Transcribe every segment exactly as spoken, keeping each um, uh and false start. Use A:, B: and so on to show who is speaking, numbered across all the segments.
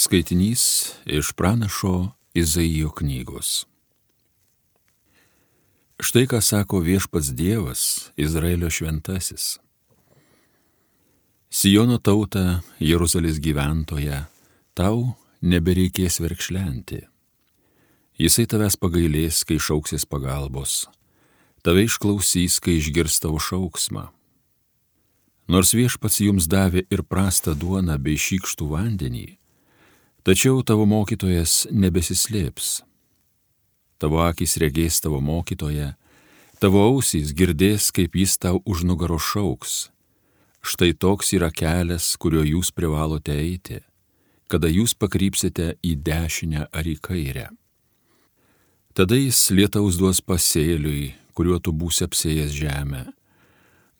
A: Skaitinys iš pranašo Izaijo knygos. Štai ką sako viešpats Dievas, Izraelio šventasis. Siono tauta, Jeruzalės gyventoja, tau nebereikės verkšlenti. Jisai tavęs pagailės, kai šauksis pagalbos, tave išklausys, kai išgirs tavo šauksmą. Nors viešpats jums davė ir prastą duoną bei šykštų vandenį, tačiau tavo mokytojas nebesislėps. Tavo akys regės tavo mokytoją, tavo ausys girdės, kaip jis tau už nugaro šauks. Štai toks yra kelias, kuriuo jūs privalote eiti, kada jūs pakrypsite į dešinę ar į kairę. Tada jis lietaus duos pasėliui, kuriuo tu būsi apsėjęs žemę.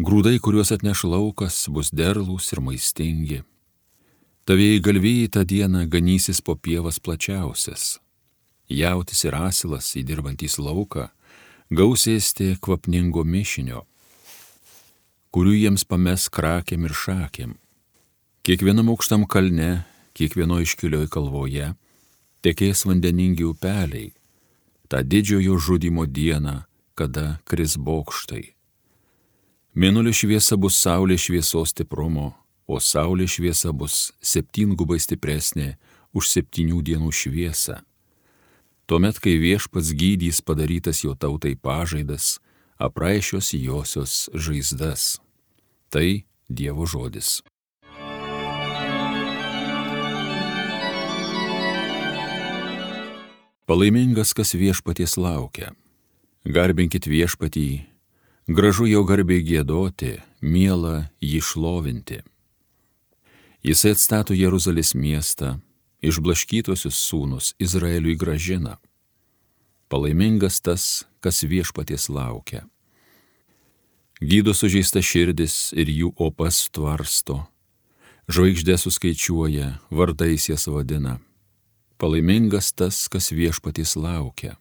A: Grūdai, kuriuos atneš laukas, bus derlūs ir maistingi. Tavieji galvijai tą dieną ganysis po pievas plačiausias. Jautis ir asilas įdirbantys lauką gaus ėsti kvapningo mišinio, kurių jiems pames krakėm ir šakėm. Kiekvienam aukštam kalne, kiekvieno iškilioj kalvoje tekės vandeningi upeliai, tą didžiojo žudimo dieną, kada kris bokštai. Mėnulio šviesa bus saulės šviesos stiprumo, o saulės šviesa bus septyngubai stipresnė už septynių dienų šviesą. Tuomet, kai viešpats gydys padarytas jo tautai pažaidas, apraišios josios žaizdas. Tai Dievo žodis. Palaimingas, kas viešpaties laukia. Garbinkit viešpatį, gražu jo garbiai giedoti, miela jį šlovinti. Jisai atstato Jeruzalės miestą, išblaškytuosius sūnus Izraeliui gražina. Palaimingas tas, kas viešpaties laukia. Gydo sužeista širdis ir jų opas tvarsto. Žvaigždės suskaičiuoja, vardais jas vadina. Palaimingas tas, kas viešpaties laukia.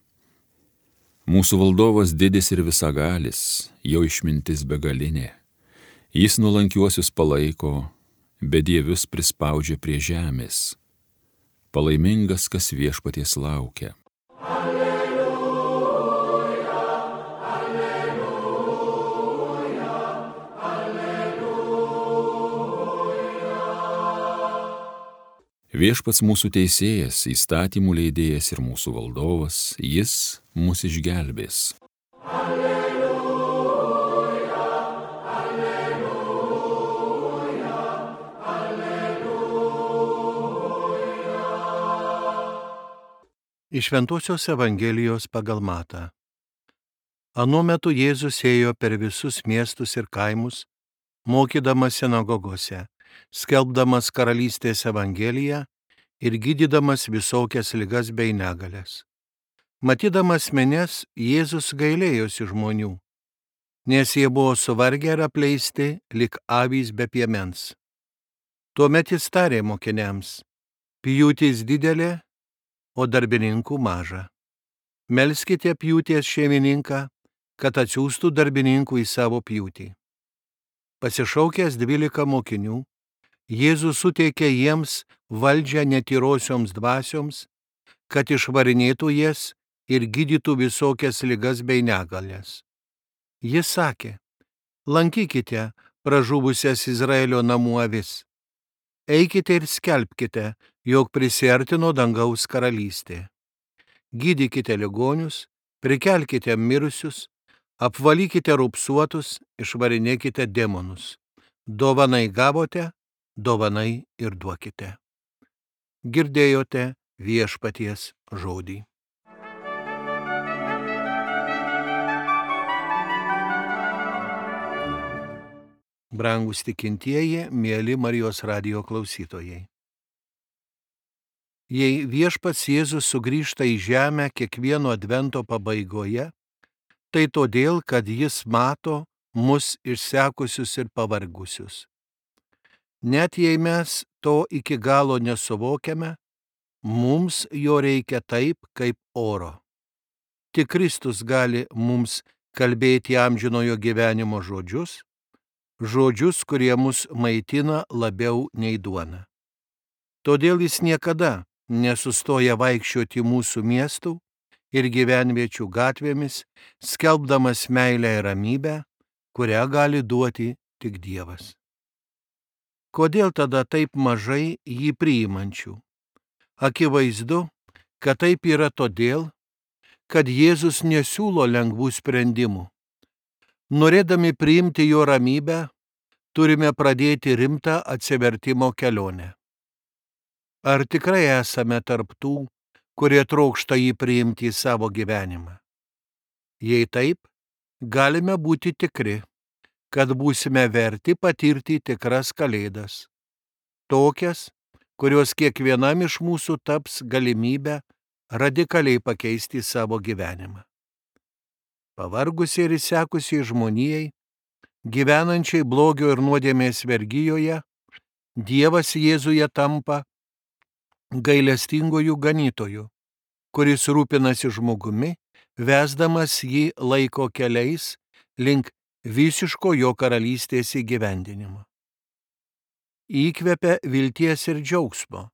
A: Mūsų valdovas didis ir visagalis, jo išmintis begalinė. Jis nuolankiuosius palaiko, bedievius prispaudžia prie žemės. Palaimingas, kas viešpaties laukia.
B: Alleluja, alleluja, alleluja.
A: Viešpats mūsų teisėjas, įstatymų leidėjas ir mūsų valdovas, jis mus išgelbės.
C: Iš Šventosios Evangelijos pagal Matą. Anuo metu Jėzus ėjo per visus miestus ir kaimus, mokydamas sinagogose, skelbdamas karalystės evangeliją ir gydydamas visokias ligas bei negalias. Matydamas minias, Jėzus gailėjosi žmonių, nes jie buvo suvargę ir apleisti, lyg avys be piemens. Tuomet jis tarė mokiniams: pjūtis didelė, o darbininkų maža. Melskite pjūties šeimininką, kad atsiųstų darbininkų į savo pjūtį. Pasišaukęs dvylika mokinių, Jėzus suteikė jiems valdžią netyrosioms dvasioms, kad išvarinėtų jas ir gydytų visokias ligas bei negalias. Jis sakė: lankykite pražuvusias Izraelio namų avis. Eikite ir skelbkite, jog prisiartino dangaus karalystė. Gydykite ligonius, prikelkite mirusius, apvalykite rupsuotus, išvarinėkite demonus. Dovanai gavote, dovanai ir duokite. Girdėjote viešpaties žodį. Brangūs tikintieji, mieli Marijos radijo klausytojai. Jei viešpats Jėzus sugrįžta į žemę kiekvieno advento pabaigoje, tai todėl, kad jis mato mus išsekusius ir pavargusius. Net jei mes to iki galo nesuvokiame, mums jo reikia taip, kaip oro. Tik Kristus gali mums kalbėti amžinojo gyvenimo žodžius, žodžius, kurie mus maitina labiau nei duona. Todėl jis niekada nesustoja vaikščioti mūsų miestų ir gyvenviečių gatvėmis, skelbdamas meilę ir ramybę, kurią gali duoti tik Dievas. Kodėl tada taip mažai jį priimančių? Akivaizdu, kad taip yra todėl, kad Jėzus nesiūlo lengvų sprendimų. Norėdami priimti jo ramybę, turime pradėti rimtą atsivertimo kelionę. Ar tikrai esame tarp tų, kurie trokšta jį priimti į savo gyvenimą? Jei taip, galime būti tikri, kad būsime verti patirti tikras kalėdas, tokias, kurios kiekvienam iš mūsų taps galimybę radikaliai pakeisti savo gyvenimą. Pavargusiai ir išsekusiai žmonijai, gyvenančiai blogio ir nuodėmės vergijoje, Dievas Jėzuje tampa gailestingojų ganytojų, kuris rūpinasi žmogumi, vesdamas jį laiko keliais link visiško jo karalystės įgyvendinimo. Įkvepia vilties ir džiaugsmo,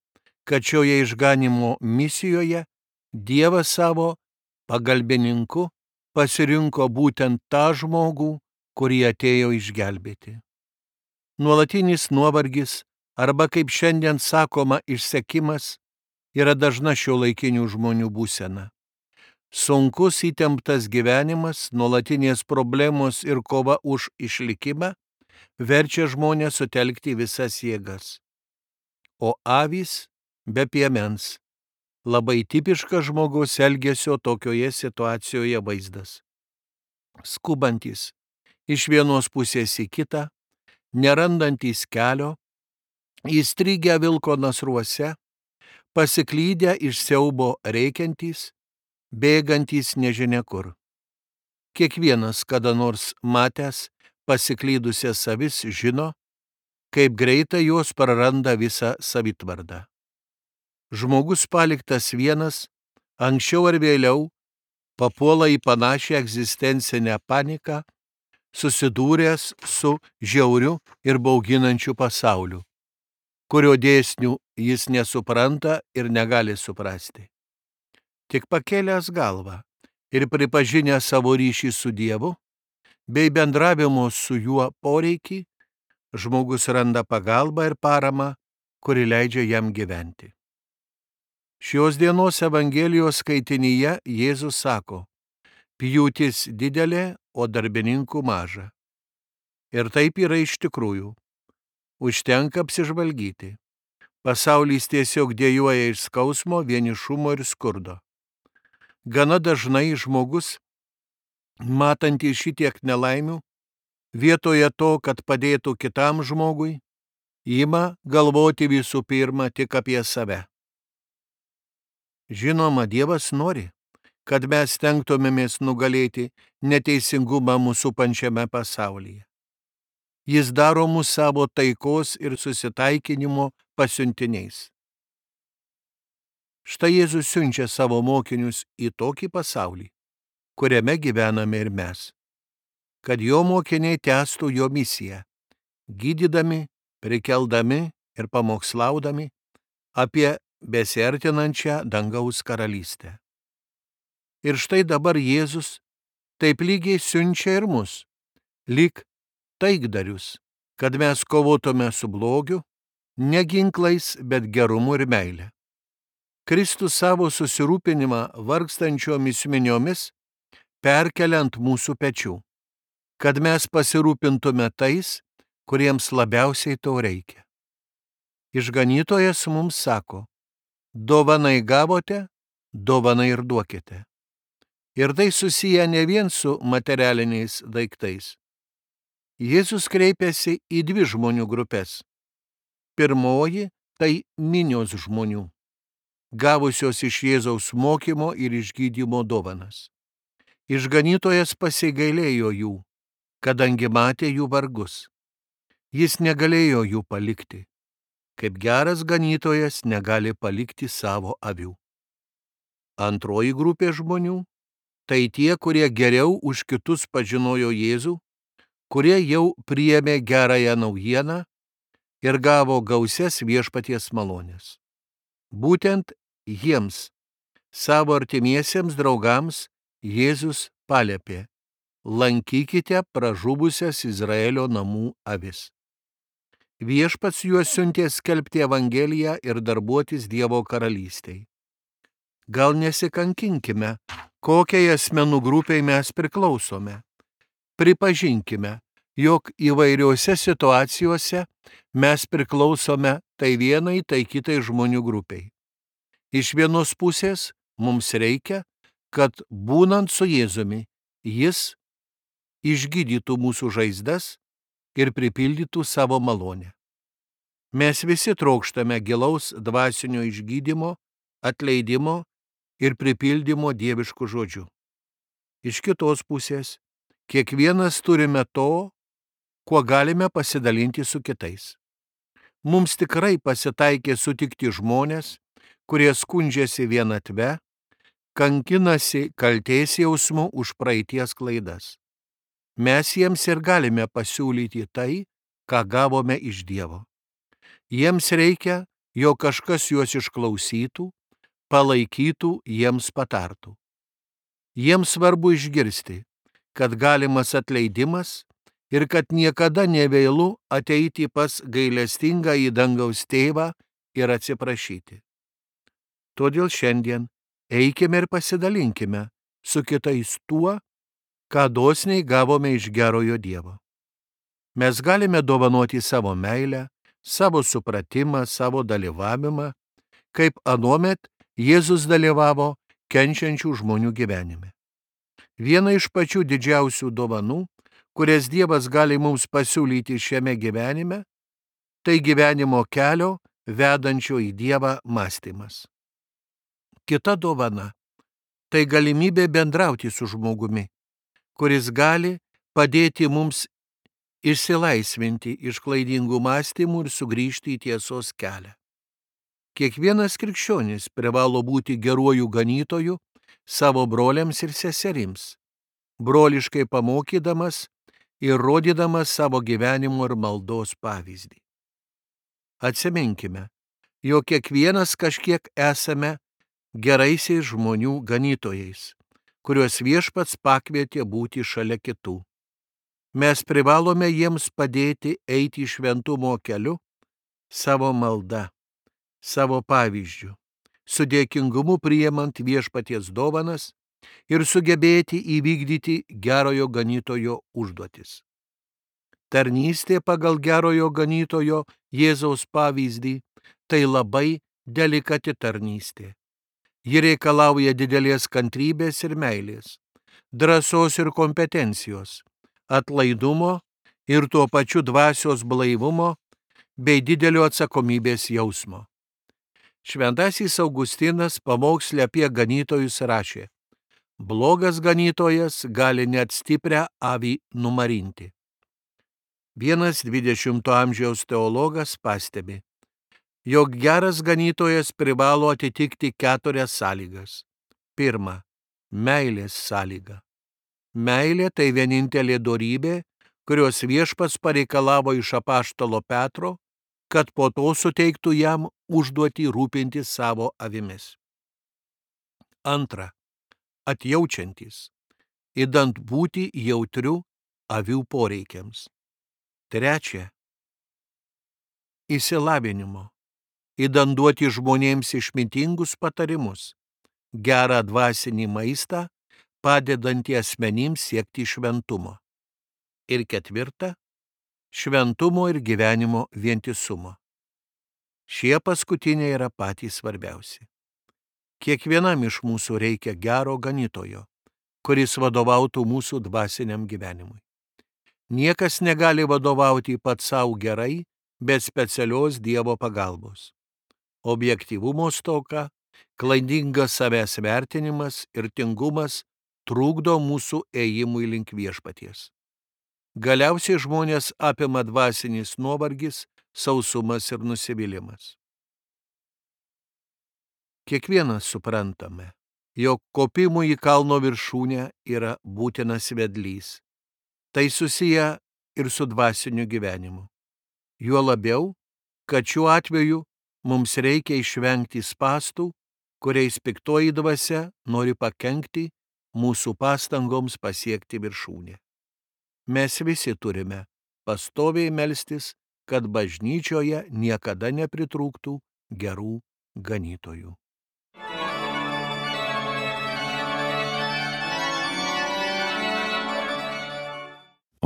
C: kad šioje išganimo misijoje Dievas savo pagalbininku pasirinko būtent tą žmogų, kurį atėjo išgelbėti. Nuolatinis nuovargis arba, kaip šiandien sakoma, išsekimas yra dažna šiuolaikinių žmonių būsena. Sunkus įtemptas gyvenimas, nuolatinės problemos ir kova už išlikimą verčia žmonės sutelkti visas jėgas. O avys be piemens - labai tipiškas žmogaus elgesio tokioje situacijoje vaizdas. Skubantys iš vienos pusės į kitą, nerandantys kelio, įstrigę vilko nasruose, pasiklydę iš siaubo reikiantys, bėgantys nežinia kur. Kiekvienas kada nors matęs pasiklydusias avis žino, kaip greitai jos praranda visą savitvardą. Žmogus paliktas vienas, anksčiau ar vėliau, papuola į panašią egzistencinę paniką, susidūręs su žiauriu ir bauginančiu pasauliu, kurio dėsnių jis nesupranta ir negali suprasti. Tik pakėlęs galvą ir pripažinęs savo ryšį su Dievu, bei bendravimo su juo poreikį, žmogus randa pagalbą ir paramą, kuri leidžia jam gyventi. Šios dienos Evangelijos skaitinyje Jėzus sako: pjūtis didelė, o darbininkų maža. Ir taip yra iš tikrųjų. Užtenka apsižvalgyti. Pasaulis tiesiog dejuoja iš skausmo, vienišumo ir skurdo. Gana dažnai žmogus, matantys šitiek nelaimių, vietoje to, kad padėtų kitam žmogui, ima galvoti visų pirma tik apie save. Žinoma, Dievas nori, kad mes stengtumėmės nugalėti neteisingumą mūsų pančiame pasaulyje. Jis daro mus savo taikos ir susitaikinimo pasiuntiniais. Štai Jėzus siunčia savo mokinius į tokį pasaulį, kuriame gyvename ir mes, kad jo mokiniai tęstų jo misiją, gydydami, prikeldami ir pamokslaudami apie besiartinančią dangaus karalystę. Ir štai dabar Jėzus taip lygiai siunčia ir mus, lyg taikdarius, kad mes kovotume su blogiu, ne ginklais, bet gerumu ir meile. Kristus savo susirūpinimą vargstančiomis miniomis perkelia ant mūsų pečių, kad mes pasirūpintume tais, kuriems labiausiai to reikia. Išganytojas mums sako: dovanai gavote, dovanai ir duokite. Ir tai susiję ne vien su materialiniais daiktais. Jėzus kreipiasi į dvi žmonių grupės. Pirmoji – tai minios žmonių, gavusios iš Jėzaus mokymo ir išgydymo dovanas. Išganytojas pasigailėjo jų, kadangi matė jų vargus. Jis negalėjo jų palikti, kaip geras ganytojas negali palikti savo avių. Antroji grupė žmonių – tai tie, kurie geriau už kitus pažinojo Jėzų, kurie jau priėmė gerąją naujieną ir gavo gausias viešpaties malonės. Būtent jiems, savo artimiesiems draugams, Jėzus paliepė: lankykite pražuvusias Izraelio namų avis. Viešpats juos siuntė skelbti Evangeliją ir darbuotis Dievo karalystei. Gal nesikankinkime, kokiai asmenų grupiai mes priklausome. Pripažinkime, jog įvairiuose situacijose mes priklausome tai vienai, tai kitai žmonių grupiai. Iš vienos pusės mums reikia, kad būnant su Jėzumi, Jis išgydytų mūsų žaizdas ir pripildytų savo malonę. Mes visi trokštame gilaus dvasinio išgydymo, atleidimo ir pripildymo dieviškų žodžių. Iš kitos pusės, kiekvienas turime to, kuo galime pasidalinti su kitais. Mums tikrai pasitaikė sutikti žmonės, kurie skundžiasi vienatve, kankinasi kaltės jausmu už praeities klaidas. Mes jiems ir galime pasiūlyti tai, ką gavome iš Dievo. Jiems reikia, jog kažkas juos išklausytų, palaikytų, jiems patartų. Jiems svarbu išgirsti, kad galimas atleidimas ir kad niekada nevėlu ateiti pas gailestingą į dangaus tėvą ir atsiprašyti. Todėl šiandien eikime ir pasidalinkime su kitais tuo, ką dosniai gavome iš gerojo Dievo. Mes galime dovanoti savo meilę, savo supratimą, savo dalyvavimą, kaip anuomet Jėzus dalyvavo kenčiančių žmonių gyvenime. Viena iš pačių didžiausių dovanų, kurias Dievas gali mums pasiūlyti šiame gyvenime, tai gyvenimo kelio vedančio į Dievą mąstymas. Kita dovana – tai galimybė bendrauti su žmogumi, kuris gali padėti mums išsilaisvinti iš klaidingų mąstymų ir sugrįžti į tiesos kelią. Kiekvienas krikščionis privalo būti geruoju ganytoju savo broliams ir seserims, broliškai pamokydamas ir rodydamas savo gyvenimo ir maldos pavyzdį. Atsiminkime, jog kiekvienas kažkiek esame geraisiais žmonių ganytojais, kuriuos Viešpats pakvietė būti šalia kitų. Mes privalome jiems padėti eiti šventumo keliu savo malda, savo pavyzdžiu, su dėkingumu priimant Viešpaties dovanas ir sugebėti įvykdyti gerojo ganytojo užduotis. Tarnystė pagal gerojo ganytojo Jėzaus pavyzdį – tai labai delikati tarnystė. Ji reikalauja didelės kantrybės ir meilės, drąsos ir kompetencijos, atlaidumo ir tuo pačiu dvasios blaivumo bei didelio atsakomybės jausmo. Šventasis Augustinas pamoksle apie ganytojus rašė: blogas ganytojas gali net stiprią avį numarinti. Vienas dvidešimto amžiaus teologas pastebi, jog geras ganytojas privalo atitikti keturias sąlygas. Pirma, meilės sąlyga. Meilė tai vienintelė dorybė, kurios Viešpats pareikalavo iš apaštalo Petro, kad po to suteiktų jam užduotį rūpinti savo avimis. Antra, atjaučiantis, idant būti jautriu avių poreikiams. Trečia, išsilavinimo, idant duoti žmonėms išmintingus patarimus, gerą dvasinį maistą, padedantį asmenims siekti šventumo. Ir ketvirta, šventumo ir gyvenimo vientisumo. Šie paskutiniai yra patys svarbiausi. Kiekvienam iš mūsų reikia gero ganytojo, kuris vadovautų mūsų dvasiniam gyvenimui. Niekas negali vadovauti pats savo gerai, be specialios Dievo pagalbos. Objektyvumo stoka, klaidingas savęs vertinimas ir tingumas trukdo mūsų ėjimui link Viešpaties. Galiausiai žmonės apima dvasinis nuovargis, sausumas ir nusivylimas. Kiekvienas suprantame, jog kopimui į kalno viršūnę yra būtinas vedlys. Tai susiję ir su dvasiniu gyvenimu. Juo labiau, kad šiuo atveju mums reikia išvengti spąstų, kuriais piktoji dvasia nori pakenkti mūsų pastangoms pasiekti viršūnę. Mes visi turime pastoviai melstis, kad bažnyčioje niekada nepritrūktų gerų ganytojų.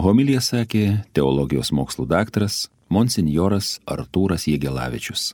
A: Homiliją sakė teologijos mokslų daktaras monsinjoras Artūras Jegelavičius.